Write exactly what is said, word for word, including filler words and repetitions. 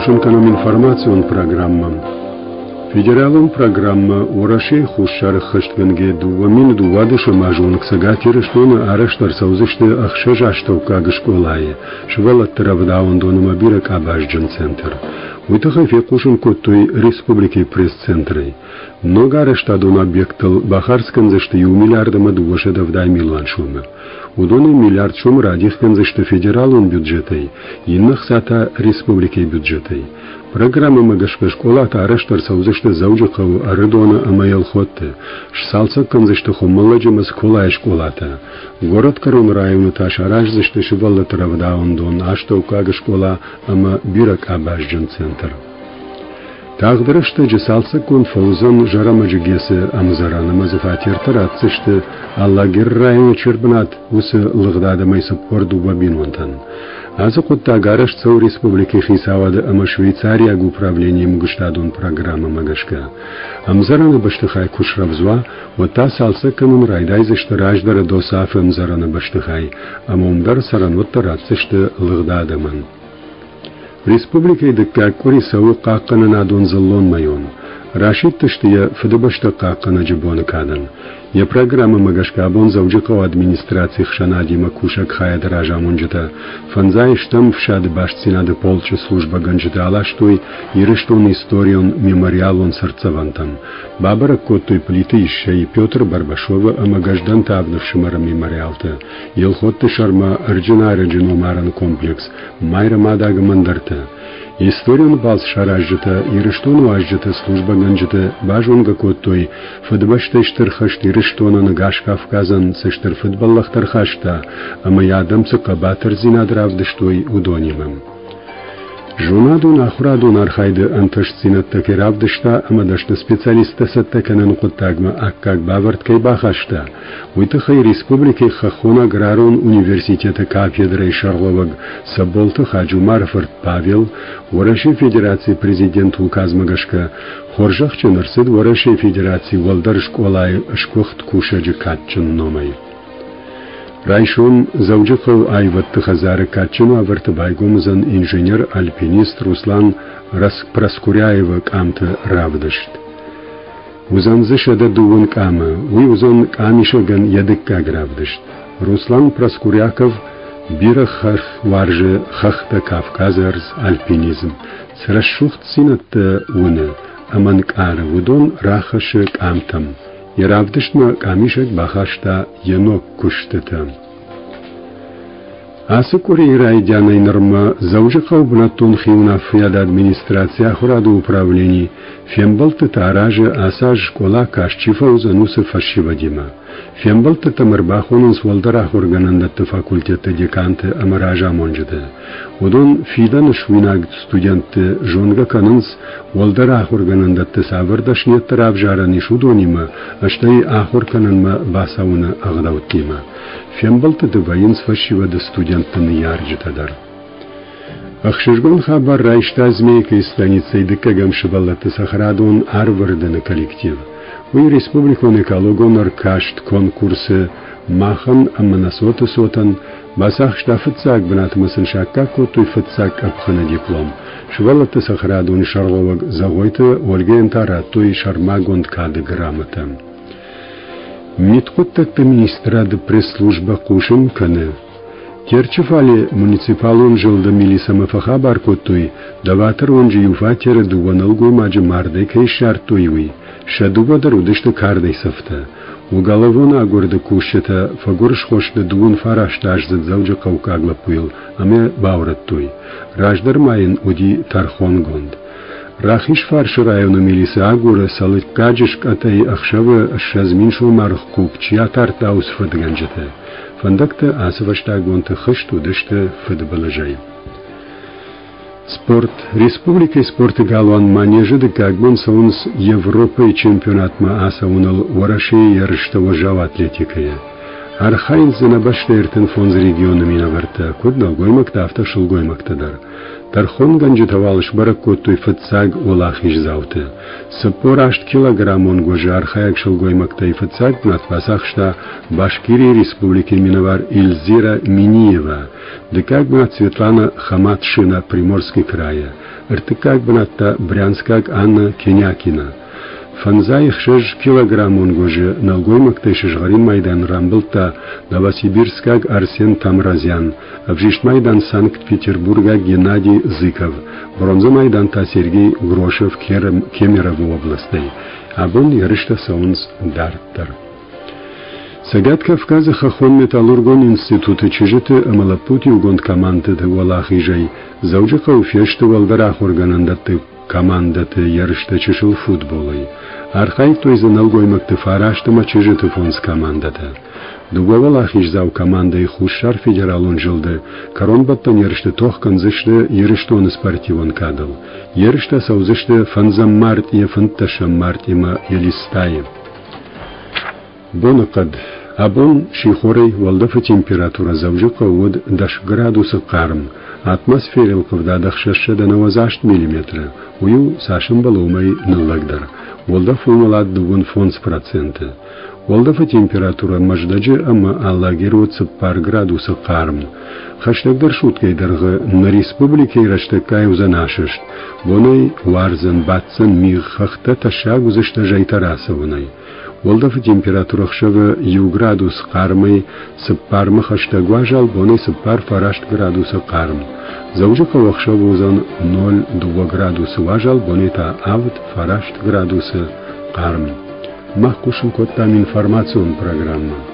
Хъусын кӕнӕм информацион программӕ. Федералон программӕ Уӕрӕсейы Хуссары ӕххӕстгӕнгӕ дыууӕ мин дыууадӕсӕм азы онг Цӕгат Ирыстоны арӕзт ӕрцӕудзысты ӕхсӕз астӕуккаг скъолайы, сывӕллӕтты рӕвдауӕндон ӕмӕ бирӕкъабазджын центр. Уый тыххӕй фехъусын кодтой республикӕйы пресс-центрӕй. Ног арӕзтадон объекттыл бахардз кӕндзысты иу миллиард ӕмӕ дыууӕсӕдӕ ӕвдай милуан сомы. Уыдонӕй миллиард сомы радих кӕндзысты федералон бюджетӕй, иннӕ хца та республикӕйы бюджетӕй. Программӕмӕ гӕсгӕ скъолатӕ арӕзт ӕрцӕудзысты Дзӕуджыхъӕуы, Ӕрыдоны ӕмӕ Елхотты. Сцалцӕг кӕндзысты Хуымӕллӕджы ӕмӕ Цыколайы скъолатӕ. Горӕтгӕрон районы та сараздзысты сывӕллӕтты рӕвдауӕндон, астӕуккаг скъола ӕмӕ бирӕкъабазджын центр. Тагъд рӕстӕджы цалцӕггонд фӕуыдзӕн Зӕрӕмӕджы ГЭС-ы ӕмдзӕрӕн ӕмӕ дзы фатертӕ ратдзысты Алагиры районы чи ӕрбынат, уыцы лыгъд адӕмӕй цыппор дыууӕ бинонтӕн. Ацы хъуыддаг арӕзт цӕуы республикӕйы хицауады ӕмӕ швейцариаг управленийы ӕмгуыстадон программӕмӕ гӕсгӕ. Ӕмдзӕрӕны бӕстыхай куы срӕвдз уа, уӕд та цалцӕг кӕнын райдайдзысты раздӕры ДОСААФ-ы ӕмдзӕрӕны бӕстыхай ӕмӕ уым дӕр цӕрӕнуӕттӕ ратдзысты лыгъд адӕмӕн. Республикӕйы дыккаг къуыри цӕуы хъахъхъӕнынадон дзыллон мӕйон. Расидтысты йӕ Фыдыбӕстӕ хъахъхъӕнӕджы боны кадӕн. Йӕ программӕмӕ гӕсгӕ абон Дзӕуджыхъӕуы администрацийы хсӕнадимӕ кусӕг хайады разамонджытӕ фӕндзай стӕм ӕфсады бастдзинады полчъы службӕгӕнджытӕ аластой Ирыстоны историон мемориалон цыртдзӕвӕнтӕм. Бабӕрӕг кодтой Плиты Иссӕйы, Петр Барбашовы ӕмӕ Гӕздӕнты авд ӕфсымӕры мемориалтӕ, Елхотты сӕрмӕ Ӕрджынарӕджы номарӕн комплекс, Майрӕмадаг ӕмӕ ӕндӕртӕ. Историон балц саразджытӕ Ирыстоны уазджыты службӕгӕнджыты базонгӕ кодтой, Фыдыбӕстӕйы Стыр хӕст Ирыстонӕн ӕгас Кавказӕн цы стыр фыдбӕллӕхтӕ ӕрхаста ӕмӕ йӕ адӕм цы хъӕбатырдзинад равдыстой, уыдонимӕ. Зонадон-ахуырадон архайды ӕнтыстдзинӕдтӕ кӕй равдыста ӕмӕ дӕсны специалисттӕ цӕттӕ кӕныны хъуыддагмӕ аккаг бавӕрд кӕй бахаста, уый тыххӕй республикӕйы Хӕххон аграрон университеты кафедрӕйы сӕргълӕууӕг Цӕболты Хаджумары фырт Павел Уӕрӕсейы Федерацийы Президенты указмӕ гӕсгӕ хорзӕхджын ӕрцыд Уӕрӕсейы Федерацийы уӕлдӕр скъолайы сгуыхт кусӕджы кадджын номӕй. Райсом Дзӕуджыхъӕуы аивӕдты хӕдзары кадджын уавӕрты байгом уыдзӕн инженер-альпинист Руслан Проскуряевы къамты равдыст. Уыдзӕн дзы сӕдӕ дыууын къамы, уый уыдзӕн къамисӕгӕн йӕ дыккаг равдыст. Руслан Проскуряков бирӕ хӕрх уарзы хӕхтӕ, Кавказы ӕрдз, альпинизм. Цы рӕсугъддзинӕдтӕ уыны ӕмӕ нкъары, уыдон рахӕссы къамтӕм. Йӕ равдыстмӕ къамисӕг бахаста йӕ ног куыстытӕ. Ацы къуырийы райдианӕй нырмӕ Дзӕуджыхъӕуы бынӕттон хиуынаффӕйады администрацийы ахуырады управлени фембӕлдтытӕ аразы ацы аз скъола каст чи фӕуыдзӕн, уыцы фӕсивӕдимӕ. Фембӕлдтытӕм ӕрбахонынц уӕлдӕр ахуыргӕнӕндӕтты факультетты деканты ӕмӕ разамонджыты. Уыдон фидӕны суинаг студентты зонгӕ кӕнынц, уӕлдӕр ахуыргӕнӕндӕтты цавӕр дӕсныйӕдтӕ равзарӕн ис, уыдонимӕ, стӕй ахуыр кӕнынмӕ бацӕуыны ӕгъдӕуттимӕ. Фембӕлдтыты вӕййынц фӕсивӕды студентты ныййарджытӕ дӕр. Ӕхсызгон хабар райста Змейкӕйы станицӕйы дыккӕгӕм сывӕллӕтты цӕхӕрадон Арвӕрдыны коллектив. Уый республикон экологон ӕркаст конкурсы махӕн ӕмӕ нӕ цоты цотӕн бацахста фыццаг бынат ӕмӕ сын саккаг кодтой фыццаг къӕпхӕны диплом. Сывӕллӕтты цӕхӕрадоны сӕргълӕууӕг Зӕгъойты Ольгӕйӕн та радтой сӕрмагонд кады грамотӕ. Мидхъуыддӕгты министрады пресс-службӕ хъусын кӕны, Терчы фале муниципалон зылды милицӕмӕ фӕхабар кодтой, Доваторы уынджы иу фатеры дыууӕ нӕлгоймаджы мардӕй кӕй ссардтой, уый. Сӕ дыууӕ дӕр уыдысты кардӕй цӕфтӕ. Уголовон агуырды кусджытӕ фӕгуырысхо сты дыууын фарастаздзыд дзӕуджыхъӕуккаг лӕппуйыл ӕмӕ баурӕдтой. Раздӕр ма йын уыди тӕрхонгонд. Рахизфарсы районы милици агуры Цӕлыккаджы скъӕтӕй ӕхсӕвы ссӕдз мин сомы хъуг чи атардта, уыцы фыдгӕнджыты. Фӕндӕгтӕ ацы фӕстаг бонты хызт уыдысты фыдбылызӕй. Спорт. Республикӕйы спорты галуан Манежы дыккаг бон цӕуынц Европӕйы чемпионатмӕ ацӕуыныл Уӕрӕсейы ерыстӕ уӕззау атлетикӕйӕ. Архайынц дзы нӕ бӕстӕйы ӕртын фондз регионы минӕвӕрттӕ, куыд нӕлгоймӕгтӕ, афтӕ сылгоймӕгтӕ дӕр. Тӕрхонгӕнджытӕ уал сбӕрӕг кодтой фыццаг уӕлахиздзауты. Цыппор аст килограммон гуызы архайӕг сылгоймӕгтӕй фыццаг бынат бацахста Башкирийы республикӕйы минӕвар Ильзира Миниева. Дыккаг бынат Светлана Хаматшина Приморский крайӕ. Ӕртыккаг бынат та брянскаг Анна Кенякина. Фӕндзай ӕхсӕз килограммон гуызы нӕлгоймӕгтӕй сызгъӕрин майдан рамбылдта новосибирскаг Арсен Тамразян, ӕвзист майдан Санкт-Петербургаг Геннадий Зыков, бронзӕ майдан та Сергей Грошев Кемеровы областӕй. Абон ерыстӕ цӕуынц дарддӕр. Цӕгат Кавказы хӕххон-металлургон институты чызджыты ӕмӕ лӕппуты иугонд командӕты уӕлахизӕй Дзӕуджыхъӕуы фесты уӕлдӕр ахуыргӕнӕндӕтты командӕты ерыстӕ чысыл футболӕй. Архайдтой дзы нӕлгоймӕгты фараст ӕмӕ чызджыты фондз командӕтӕ. Дыууӕ уӕлахиздзау командӕйы Хуссар федералон зылды кӕронбӕттӕн ерысты тох кӕндзысты Ирыстоны спортивон кадыл. Ерыстӕ цӕудзысты фӕндзӕм мартъийӕ фынддӕсӕм мартъимӕ Елистайы. Боныхъӕд. Абон сихорӕй уӕлдӕфы температурӕ Дзӕуджыхъӕуы уыд дӕс градусы хъарм. Атмосферӕйыл ӕлхъывдад ӕхсӕзсӕдӕ нӕуӕдз аст миллиметры. Уый у, цас ӕмбӕлы, уымӕй ныллӕгдӕр. Уӕлдӕф уымӕлад дыууын фондз проценты. Уӕлдӕфы температурӕ Мӕздӕджы ӕмӕ Алагиры уыд цыппар градусы хъарм. Хӕстӕгдӕр суткӕйы дӕргъы нӕ республикӕйы рӕстӕггай уыдзӕн асӕст. Бонӕй уардзӕн, баддзӕн мигъ, хӕхтӕ тӕссаг уыдзысты зӕйтӕ рацӕуынӕй. Уӕлдӕфы температурӕ ӕхсӕвы иу градус хъармӕй цыппармӕ хӕстӕг уазал, бонӕй цыппар фараст градусы хъарм. Дзӕуджыхъӕуы ӕхсӕвы уыдзӕн ноль дыууӕ градусы уазал, бонӕй та авд фараст градусы хъарм. Мах хъусын кодтам информацион программӕ.